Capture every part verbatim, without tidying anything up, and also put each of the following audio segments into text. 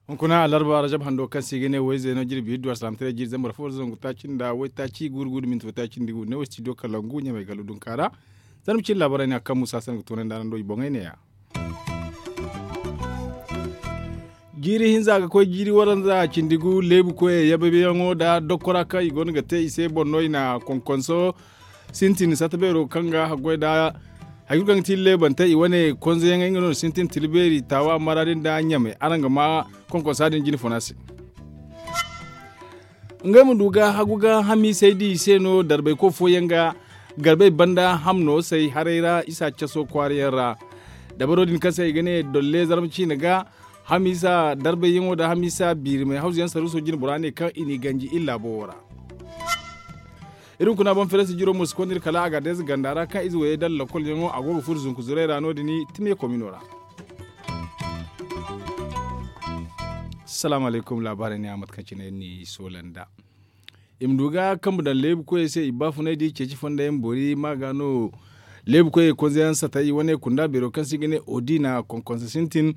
Hunkuna alarba rajab hando kaŋ se i ga ne wayze no jirbi iddu alsalamtaray jiiri zambar fo zangu taaci nda waytaaci guuru guuru minti waytaaci nda guuru ne wo studio kalangu ɲamay galo dunka ra. Zarma cine laabaray ne a kaŋ musa se no ga toonandi araŋ do i boŋey ne- ya. Jiiri hinza ga koy jiiri waranza cindi gu leebu koyey yababiyaŋo nda dokkora kaŋ i go no ga te i se boŋ no i na konkonso sintin sata beero kaŋ ga haggoy nda hari kulu kaŋ ga ti leebantey i wane konzeyaŋey nga no sintin tila beeri taawa maraadi nda ɲamay araŋ ga ma konkonsa din jine funa se. Ngey ma du ga hagu ga hamiisey di i se no darbayko fooyaŋ ga garbey banda hamno say haray ra isa caso kwaarayaŋ ra. Dabaro din kaŋ se i ga ne dolle zarma ciine ga hamiisa darbayyaŋo nda hamiisa biirimey hawzuyaŋ saruuso jine bora ne kaŋ i n'i ganji iri laabo wo ra. Iri hunkuna boŋ fereesi jiro mo si konda iri kala a ga deeza ganda ra kaŋ ize wayey dala lakolyaŋo a go ga furo zunku zuray ra no- din timiya komino ra. Salaamu alaykum laabaarey ne a mate kaŋ cine iri n'i soola nd'a. I ma du ga kambe daŋ leebu koyey se i baafunay da i ceeci fonda yaŋ boori ma ga no leebu koyey konze yaŋ sata i wane kunda beero kaŋ se i ga ne odina konkonsa sintin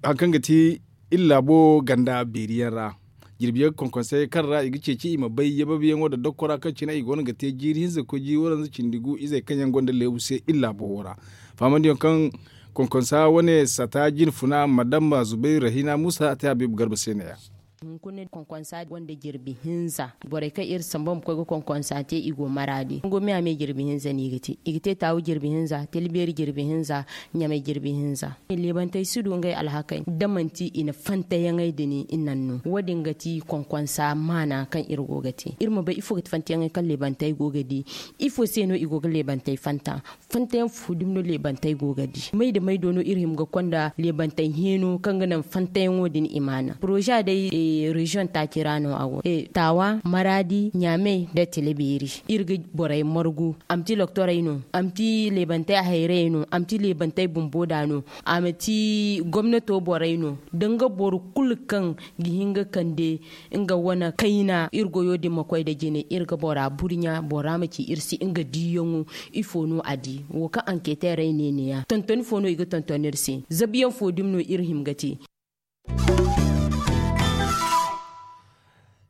hari kaŋ ga ti iri laabo ganda beeri yaŋ ra. Jirbi yaŋ ga konkonsey kaŋ ra i ga ceeci i ma bay yababiyaŋo nda dokkora kaŋ cine i go no ga te jiiri hinza ga koy jiiri waranza cindi gu izey kaŋ yaŋ gonda leebu se iri laabo wo ra. Fahamandiyaŋ kaŋ konkonsa wane sata jine funa madamma zubayru rahina muusa a te habiibu garba se ne- ya. Hunkuna konkonsa gonda jirbi hinza borey kaŋ iri samba ma koy ga konkonsa te i go maraadi nango me a me jirbi hinza no i ga te i ga te taawu jirbi hinza tila beeri jirbi hinza ɲamay jirbi hinza. Leebantey si du ngey alhakey da manti i na fantayaŋey din i naŋ no wo- din ga ti konkonsa maana kaŋ iri go ga te iri ma bay ifo ga ti fantayaŋey kaŋ leebantey go ga di ifo se no i go ga leebantey fanta. Fantayaŋ fo dumi no leebantey go ga di may nda may do no iri hima ga konda leebantey heeno kaŋ ga naŋ fantayaŋo din i maana poroza day reziyoŋ taaci ra no a go taawa maraadi ɲaamey nda tila beeri. Iri ga borey margu a ma ti loktorey no a ma ti leebantey hayrayey no a ma ti leebantey bumbo da no a ma ti gomnato borey no da nga boro kulu kaŋ ga hin ga kande nga wane kayna iri goyo din ma koy nda jine iri ga bora burɲa bora ma ci iri se nga diiyaŋo. Ifo no a di wo kaŋ anketeerey ne ne- ya tontoni fo no i ga tonton iri se zabiyaŋ fo dumi no iri hima ga te.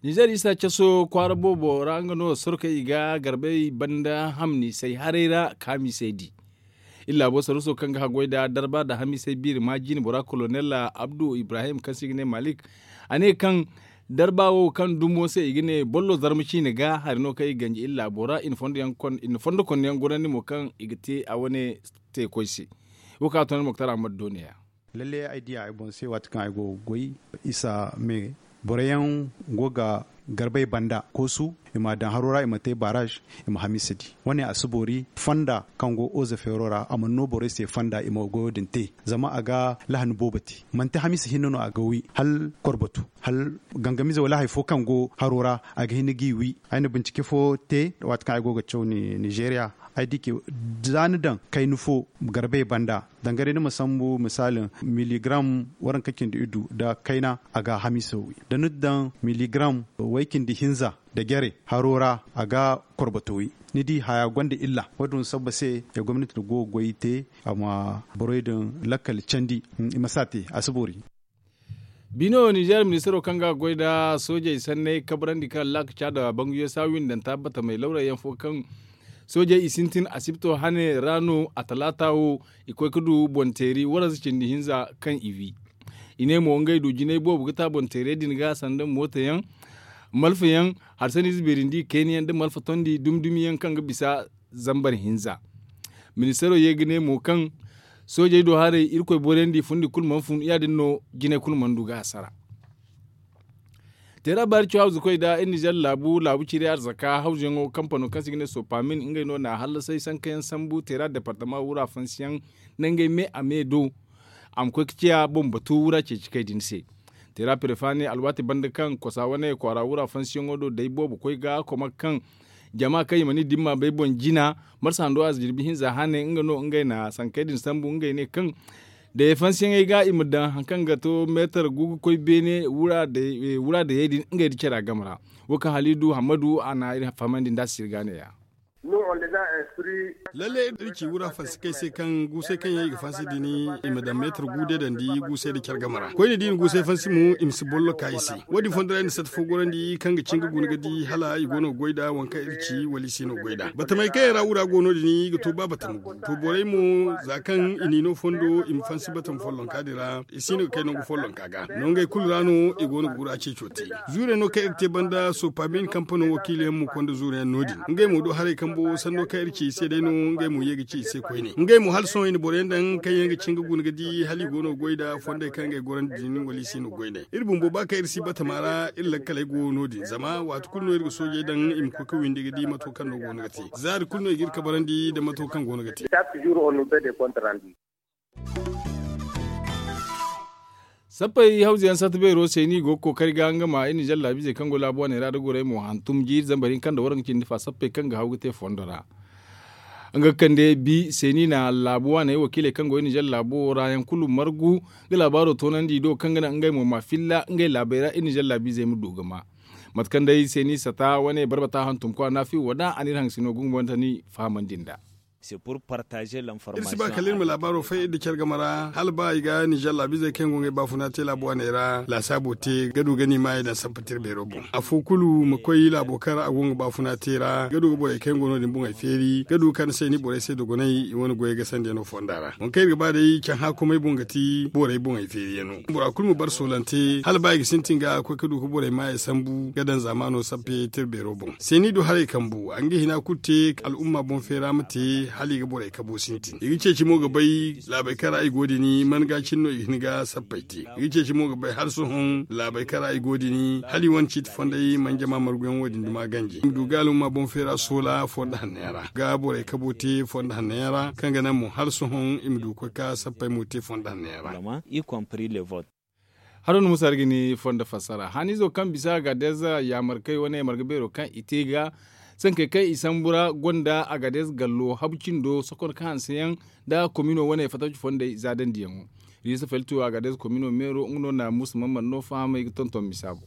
Nizer isa caso kwaara boobo ra nga no sorkey i ga garbey banda hamni say haray ra ka hamiisey di. Iri laabo saruuso kaŋ ga haggoy nda darba nda hamiisey biiri ma jiine bora kolonel abdu ibrahim kaŋ se i ga ne malik a ne kaŋ darba wo kaŋ dumo se i ga ne bollo zarma ciine ga hari no kaŋ i ganji iri laabo ra i na fondo konno yaŋ gorandi mo kaŋ i ga te a wane teekoy se. Wo kaŋ a toonandi moktar ahmad do ne- ya. Lalle ay diya ay boŋ se waati kaŋ ay go ga goy isa me boro yaŋ go ga garbay banda koosu i ma a daŋ haro ra i ma te baraaz i ma hamiisa di wane a si boori fonda kaŋ go oze feero ra a mana no borey se fonda i ma goyo din te. Zama a ga lahani boobo te manti hamiisa hinne no a ga wi hala korbatu hala gangamize wala hari fo kaŋ go haro ra a ga hin ga i wi. Ay na bincike fo te waati kaŋ ay go ga caw ninzeeriya ay di ke za ni daŋ kayna fo garbay banda danga day ni ma sambu misaali miligram waranka cindi iddu nda kayna a ga hamiisa wi da ni daŋ miligram way cindi hinza nda jare haro ra a ga korbato wi. Ni di haya gonda illa wo- din sabba se gomnati na go ga goy te a ma borey din lakkal candi. I ma si a te a si boori. Bino ninzeer ministaro kaŋ ga goy nda soojey sanney kabrandi kaŋ laakaca nda banguyo saawiindanta batamey lawray yaŋ fo kaŋ soojey i sintin asibto hane ra no a talaata wo i koy ga du boŋ teeri waranza cindi hinza kaŋ i wi. I ne mo ngey du jinay boobo ga ta boŋ teerey din ga sanda mooto yaŋ malfa yaŋ harsaniize beeri nda i kayna yaŋ nda malfa tondi dumi dumi yaŋ kaŋ ga bisa zambar hinza. Ministaro ye ga ne mo kaŋ soojey do haray irkoy boriyandi fundi kulu mana fun ya- din no jinay kulu mana du ga hasara. Teera baari caw hawzukoy nda iri nizer laabu laabu ciri arzaka hawzuyaŋo kampano kaŋ se i ga ne sopamin ngey no na a hallasay sankayaŋ sambu teera departama wura fansiyaŋ nangey me a me do a ma koy ga ciya boŋ batu wura ceeci kay din se. Teera perefa ne alwaati banda kaŋ kosa wane kwaara wura fansiyaŋo do day boobo koy ga koma kaŋ jama kaŋ i mana i dimma bay boŋ jina marsa hando a za jirbi hinza hane nga no ngey na sankey din sambu ngey ne kaŋ Day fansiyaŋey ga i ma daŋ hari kaŋ ga to meetar gu ga koy beene wura dayey din ngey nda cara game ra. Wo kaŋ halidu hammadu a na iri fahamandi nd'a sirga neeya. Lalle iri ci wura fansi kaŋ ay se kaŋ guusay kaŋ yaŋ i ga fansi din i ma daŋ meetar gu deedandi guusay nda care game ra koyne da i na guusay fansi mo i ma si bollo ka i se. Wo- din fondo ra i na sata fo gorandi kaŋ ga cin ga guna ga di hala i go no ga goy nd'a waŋ kaŋ iri ci wala i si no ga goy nd'a batamey kaŋ yaŋ ra wura go no- din i ga to ba batama gu. To borey mo za kaŋ i n'i no fondo i ma fansi batama follonka din ra i si no ga kay nangu follonka ga no ngey kulu ra no i go no ga wura ceeco te. Zuurey no kaŋ iri te banda soopa biine kampano wakiila yaŋ mo konda zuuru yaŋ no- din ngey mo do haray kambo sanno kaŋ iri ci i se day no ngey mo ye ga ci i se koyne ngey mo hala sohõ i na boro yaŋ daŋ kaŋ yaŋ ga cin ga guna ga di hala i go no ga goy nd'a fondey kaŋ ngey gorandi din wala i si no ga goy nd'ey. Iri bumbo ba kaŋ iri si batama ra iri lakkaley go no- din zama waati kulu no iri ga soojey daŋ i ma koy ga windi ga di mato kaŋ no go no ga te. Zaari kulu no i ga iri kabarandi nda mato kaŋ go no ga te. Sappey hawza yaŋ sata beero se no i go ga kookari ga nga ma iri na zallaabiizey kaŋ go laabu wane ra nda gorey mo hantum jiiri zambar hinka nda waranka cindi fa sappey kaŋ ga haw ga te fondo ra. Nga ga kande bi se no i na laabu wane wakiiley kaŋ go iri na zallaabu wo ra yaŋ kulu margu ga laabaaro toonandi i do kaŋ ga naŋ ngey mo ma filla ngey laabey ra iri na zallaabiizey ma du ga ma. Mate kaŋ day se no i sata wane barbata hantum kwa naafi wo da a na iri hangasino gungubantani fahamandi nd'a. Iri si ba kala iri ma laabaaro fay iri nda care game ra hala ba i ga nizer laabiizey kaŋ yaŋ go ngey baafuna te laabu wane ra laasaabo te ga du ga ni maayey daŋ sampatiri beero boŋ afo kulu ma koy laabo kaŋ ra a go nga baafuna te ra ga du ga borey kaŋ yaŋ go no- din boŋey feeri ga du ga kande se ni borey se dogonay i wane goyey ga sandiyaŋo fonda ra waŋ kaŋ iri ga ba day caŋ haakumey boŋ ga ti borey boŋey feeriyaŋo bora kulu ma bare soolante hala ba i ga sintin ga koy ga du ga borey maayey sambu ga daŋ zaamaano sappe tira beero boŋ se ni du haray kambu a ga nga hina kulu te al'umma boŋ feera ma te hala i ga borey kabo sintin i ga ceeci mo ga bay laabey kaŋ ra i go din man ga cine no i ga hin ga sappey te i ga ceeci mo ga bay hala sohõ laabey kaŋ ra i go din hala i wane ciiti fondey man jama marguyaŋ wo- din duma ganji i ma du ga al'umma boŋ feera soola fonda hanno yaŋ ra ga borey kabo te fonda hanno yaŋ ra kaŋ ga naŋ mo hala sohõ i ma du ga koy ga sappey mo te fonda hanno yaŋ ra. Haro ni musa ra ga ni fondo fassara haniizo kaŋ bisa agadez yaamarkey wane marga beero kaŋ i te ga sankey kaŋ i sambu ra gonda agadez gallo habu cindo sokon kaŋ hanse yaŋ nda komino wane fattaci fondey zaadandiyaŋo. Riisa felto agadez komino meero nga no na musa mamman no fahamey ga tonton misa boŋ.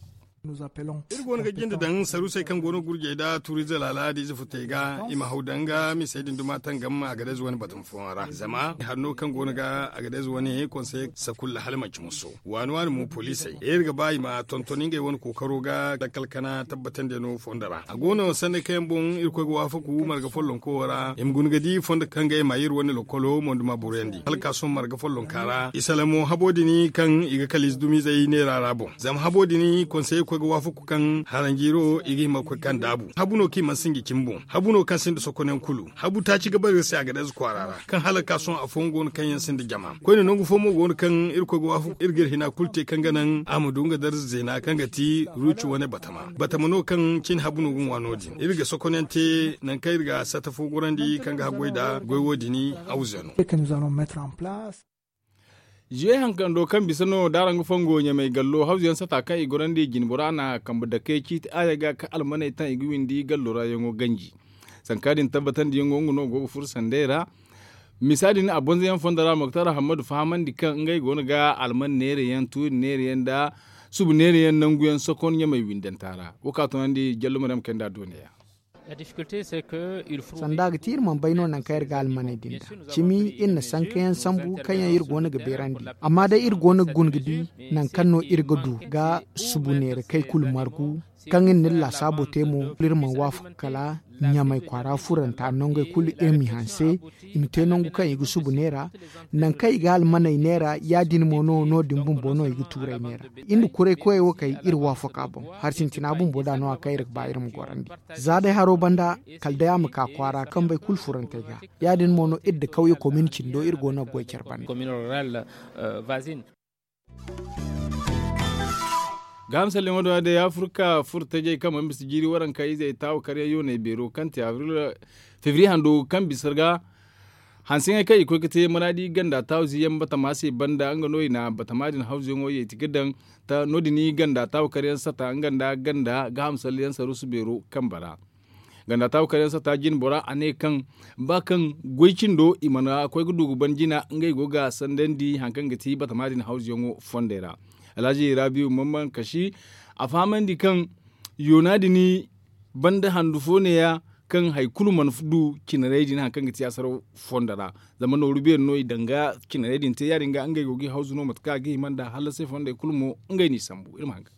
Iri go no ga jinde daŋ saruusey kaŋ go no ga gurjey nda tuuriize laala da ize futey ga i ma haw daŋ ga misey din duma tangam agadez wane batama fooyaŋ ra zama hanno kaŋ go no ga agadez wane konsey sakulla hala manci muso waani waani mo poliisey iri ga ba i ma tonton ngey wane kookaro ga lakkal kana tabbatandi no fondo ra a go no sanni kaŋ yaŋ boŋ irkoy ga waafaku marga follonko wo ra i ma guna ga di fondo kaŋ ga i ma iri wane lokolo monduma boroyandi hala ka sohõ marga follonka ra i salamo habo din kaŋ i ga kala ize dumiizey neera ra boŋ zama habo din konsey koy ga waafaku kaŋ haranjiiro i ga hima ga koy kaŋ daabu habu no kaŋ i mana sinji cimi boŋ habu no kaŋ sinda sokonyaŋ kulu habu taaci ga bare iri se agadez kwaara ra kaŋ hala ga ka sohõ afooyaŋ go no kaŋ yaŋ sinda jama koyne nangu fo mo go no kaŋ irkoy ga waafaku iri ga iri hina kulu te kaŋ ga naŋ a ma du nga darza zeena kaŋ ga ti ruuci wane batama batama no kaŋ cine habu no ga ŋwa no- din iri ga sokonyaŋ te nangu kaŋ iri ga sata fo gorandi kaŋ ga haggoy nda goy wo- din hawza no. Zuwe hankando kaŋ bisa no da araŋ ga fongo ɲamay gallo hawzuyaŋ sata kaŋ i gorandi jinbora na kambe dake ciiti aya ga ka almaney taŋ i ga windi gallo ra yaŋo ganji. Sanka din tabbatandiyaŋo nga no go ga furo sanday ra. Misa din a bonzoyaŋ fondo ra moktar hammadu fahamandi kaŋ ngey go no ga alman neerayaŋ tuuri neerayaŋ nda subu neerayaŋ nanguyaŋ sokon ɲamay windanta ra. Wo ka tunandi jallo maryam kayndi a dooniya. Sanda ga ti iri mana bay no nangu kaŋ iri ga almaney din da cimi iri na sankayaŋ sambu kaŋ yaŋ iri go no ga beerandi. Amma day iri go no ga guna ga di nangu kaŋ no iri ga du ga subu neera kay kulu margu kaŋ iri na iri laasaabo te mo iri mana waafaka kala ɲamay kwaara furanta nongey kulu iri m'i hanse i ma te nangu kaŋ i ga subu neera. Nangu kaŋ i ga almaney neera ya- din mo no no- din bumbo no i ga tuurey neera. Iri nda kuray koyey wo kay iri waafaka boŋ hari sintina bumbo da no- ya kaŋ iri ga ba iri ma gorandi. Za day haro banda kala day a ma ka kwaara kambey kulu furantey ga. Ya- din mo no iri nda kawye komin cindo iri go no ga goy care banda. Gaaham salleŋo do day afirka furo tajey kaŋ mana bisa jiiri waranka izey taawa karyaŋ yooney beero kaŋ te abril fevriye hando kaŋ bisa ga hanseyaŋey kaŋ i koy ga te maraadi ganda taawa ziyaŋ batama se banda nga no i na batama din hawzuyaŋo yeeti ga daŋ. No- din ganda taawa karyaŋ sata nga nda ganda gaaham salleyaŋ saruusu beero kambe ra. Ganda taabu kar yaŋ satta jine bora a ne kaŋ ba kaŋ goy cindo i mana koy ga du ga ban jina ngey go ga sandandi hari kaŋ ga ti batama din hawzuyaŋo fondey ra. Alhaji rabiyu man man kashi a fahamandi kaŋ yoona din banda handu fo neeya kaŋ hari kulu mana du cinarey din hari kaŋ ga ti asaraw fondo ra. Zama nooru beeri no i daŋ ga cinarey din te ya- din ga ngey go ga i hawzu no mate kaŋ a ga hima nd'a hala se fondey kulu mo ngey n'i sambu iri ma haŋ ga.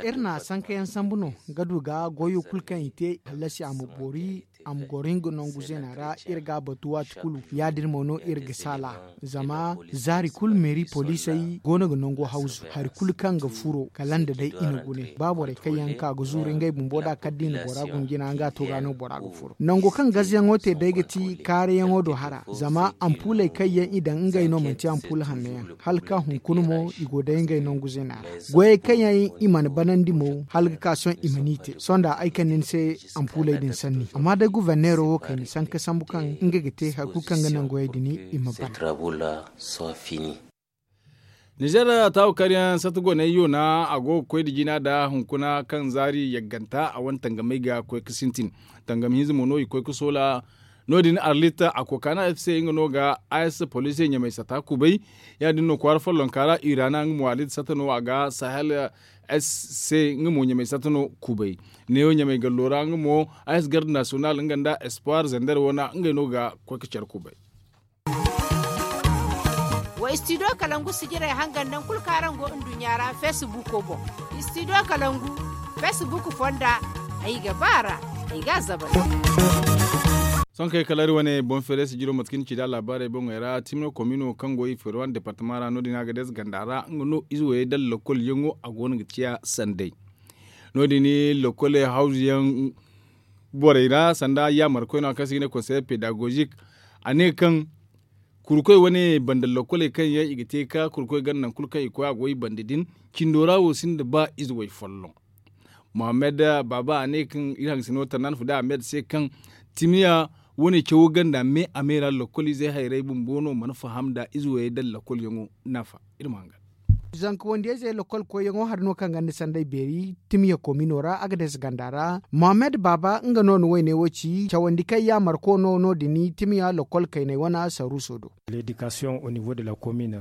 Iri na sankayaŋ sambu no ga du ga goyo kulu kaŋ i te hallasi a ma boori a ma goro nga nangu zeena ra. Iri ga a batu waati kulu ya- din mo no iri ga saala zama zaari kulu meeri poliisey go no ga nango hawzu hari kulu kaŋ ga furo kala nda day i na gune ba borey kaŋ yaŋ ka ga zuuru ngey bumbo nd'a kala da i na bora guna jina nga to ga no bora ga furo nango kaŋ gazayaŋo te day ga ti kaarayaŋo do hara zama ampuuley kaŋ yaŋ i daŋ ngey no manti ampuul hanno yaŋ hala ka hunkuna mo i go day ngey nangu zeena ra. Goyey kaŋ yaŋ i mana banandi mo hala ga ka sohõ i mana i te sohõ da ay kande ni se ampuuley din sanni amma day guverneero wo kayna sanka sambu kaŋ nga ga te hari kulu kaŋ ga naŋ goyey din i ma bana. Nizer taawu karyaŋ sata goney yoona a go ga koy nda jina nda hunkuna kaŋ zaari yagganta a wane tangamey ga koy ga sintin. Tangam hinza mo no i koy ga soola no- din arlit a kookana f c nga no ga a s poliisey ɲamay sata kubay. Ya- din no kwaara follonka ra irana nga mo arlit sata no a ga sahel s c nga mo ɲamay sata no kubay. Neewo ɲamay gallo ra nga mo a s garde nasiyonal nga nda espoir zender wana ngey no ga koy ga care kubay. Wa istidiyo kalangu sijirey hangan nangu kulu kaŋ araŋ go nduɲɲa ra feesibuuko boŋ. Istidiyo kalangu feesibuuk fonda ay ga ba a ra ay ga a zabari. Sohõ kay kala iri wane boŋ feeray sijiro mate kaŋ ni ci nd'a laabaarey boŋey ra timno komino kaŋ go i feerwan departama ra no- din a ga dees ganda ra nga no ize wayey dala lokol yaŋo a go no ga ciya sanday. No- din lokole hawzu yaŋ borey ra sanda yaamarkoy no kaŋ se i ga ne konseye pedagozik. A ne kaŋ kurkoy wane banda lokoley kaŋ yaŋ i ga te ga ka kurkoy ganda nangu kulu kaŋ i koy a go i banda din cindo ra wo sinda ba ize way folloŋ. Mohammed baaba a ne kaŋ iri hangasino tannaan fuda ahmed se kaŋ timiya wane cawo ganda me a me ra lokol izey hayrey bumbo no mana faham nda ize wayey dala lokol yaŋo nafa. Iri ma hangan. Zanka wandiyayzey lokol koyyaŋo hari no kaŋ ganda sanday beeri timiya komino ra a ga deesa ganda ra. Mohammed baaba nga no na wayne wo ci cawandi kaŋ yaamarko no no- din timiya lokol kaynay wana saruuso do.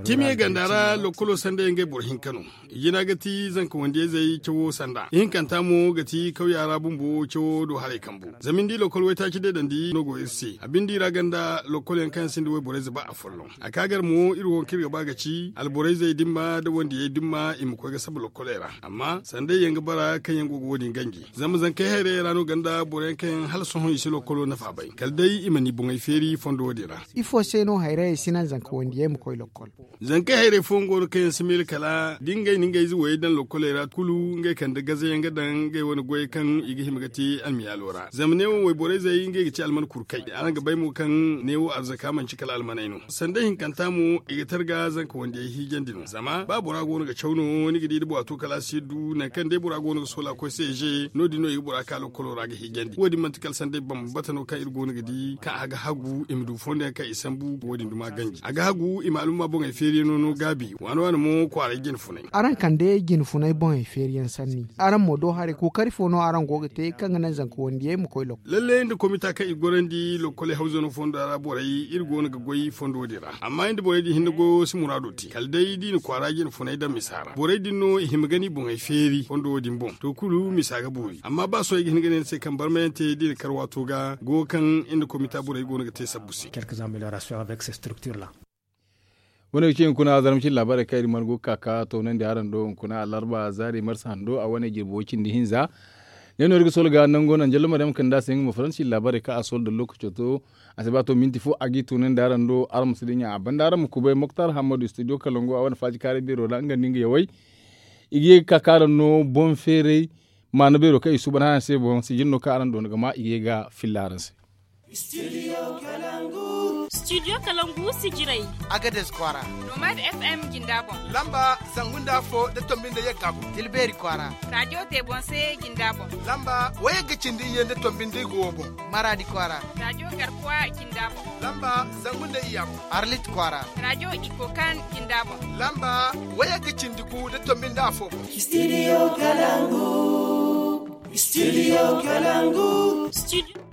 Timiya ganda ra lokolo sanday ngey boro hinka no. Jina ga ti zanka wandiyayzey cawo sanda ihinkanta mo ga ti kawya ra bumbo cawo do haray kambu. Zama ni di lokol waytaaci deedandi no go iri se a bindi ra ganda lokol yaŋ kaŋ yaŋ sinda wayborayze ba afolloŋ. A ka gar mo iri wo kaŋ iri ga ba ga ci alborayzey dimma nda wandiyey dimma i ma koy ga saba lokoley ra. Amma sanday yaŋ ga bara kaŋ yaŋ go ga wo- din ganji. Zama zankey hayrayey ra no ganda boro yaŋ kaŋ yaŋ hala sohõ i si lokolo nafa bay kala day i ma ni boŋey feeri fondo wo- din ra. Ifo se no hayrayey si naŋ zanka wandiyey ma koy lokol? Zankey hayrey fooyaŋ go no kaŋ yaŋ si miila kala da ngey na ngey ize wayey daŋ lokoley ra kulu ngey kande gaze yaŋ ga daŋ ngey wane goyey kaŋ i ga hima ga te almiyaalo ra zama neewo wayborayzey ngey ga ci alman kurkay. Araŋ ga bay mo kaŋ neewo arzaka manci kala almaney no sanda hinkanta mo i ga targa zanka wandiyey hiijandi no zama ba bora go no ga caw no ni ga di da bora to kala a si du nangu kaŋ day bora go no ga soola koy se je no- din no i ga bora ka lokolo ra ga hiijandi wo- din manti kala sanday bambata no kaŋ iri go no ga di kaŋ a ga hagu i ma du fondo yaŋ kaŋ i sambu wo- din duma ganji a ga hagu i ma alumma boŋey feeriyaŋo no gaabi waana waana mo kwaaray jine funay. Araŋ kande jine funay boŋey feeriyaŋ sanni araŋ mo do haray kookari fo no araŋ go ga te kaŋ ga naŋ zanka wandiyey ma koy lokol? Lalle nda komita kaŋ i gorandi lokoley hawzano fonda ra borey iri go no ga goy fondo din ra amma nda borey din hinne goyo si muraado te kala day da i na kwaara jine funay daŋ misa ra borey din no i hima ga ni boŋey feeri fondo wo- din boŋ to kulu misa ga boori amma ba sohõ ay ga hin ga ne ni se kaŋ barmayaŋ te da i na kar waato ga goyo kaŋ nda komita borey go no ga te sabbu se. Wane ga ci hunkuna zarma cine laabaarey kaŋ iri mana go ga ka ga toonandi araŋ do hunkuna alarba zaari marsa hando a wane jirbi way cindi hinza. Ne no iri ga soola ga nango naŋ jallo maryam kande a se nga ma faransi laabaarey kaŋ a soola da lookaco to a si ba to minti fo a g'i toonandi araŋ do araŋ ma si dinya a banda araŋ ma kubay moktar hammadu studio kalango a wane faaji kaaray beero ra nga nda nga yawey. I ga ye ga ka ka araŋ no boŋ feeray maana beero kaŋ i suuban hana se boŋ sijin no kaŋ araŋ doona ga ma i ga ye ga filla araŋ se. Studio kalangu sijirey. Agades kwaara. Nomad f m jinda boŋ. Lamba zangu nda afo da tombi nda yagga boŋ tilbeeri kwaara. Rajo te boŋ se jinda boŋ. Lamba wayagga cindi iyye nda tombi nda igo wo boŋ. Maradi kwaara. Rajo garkuwa jinda boŋ. Lamba zangu nda iyya boŋ. Arlit kwaara. Rajo ikokan jinda boŋ. Lamba wayagga cindi gu da tombi nda afo boŋ. Studio kalangu. Studio Kalangu. Studio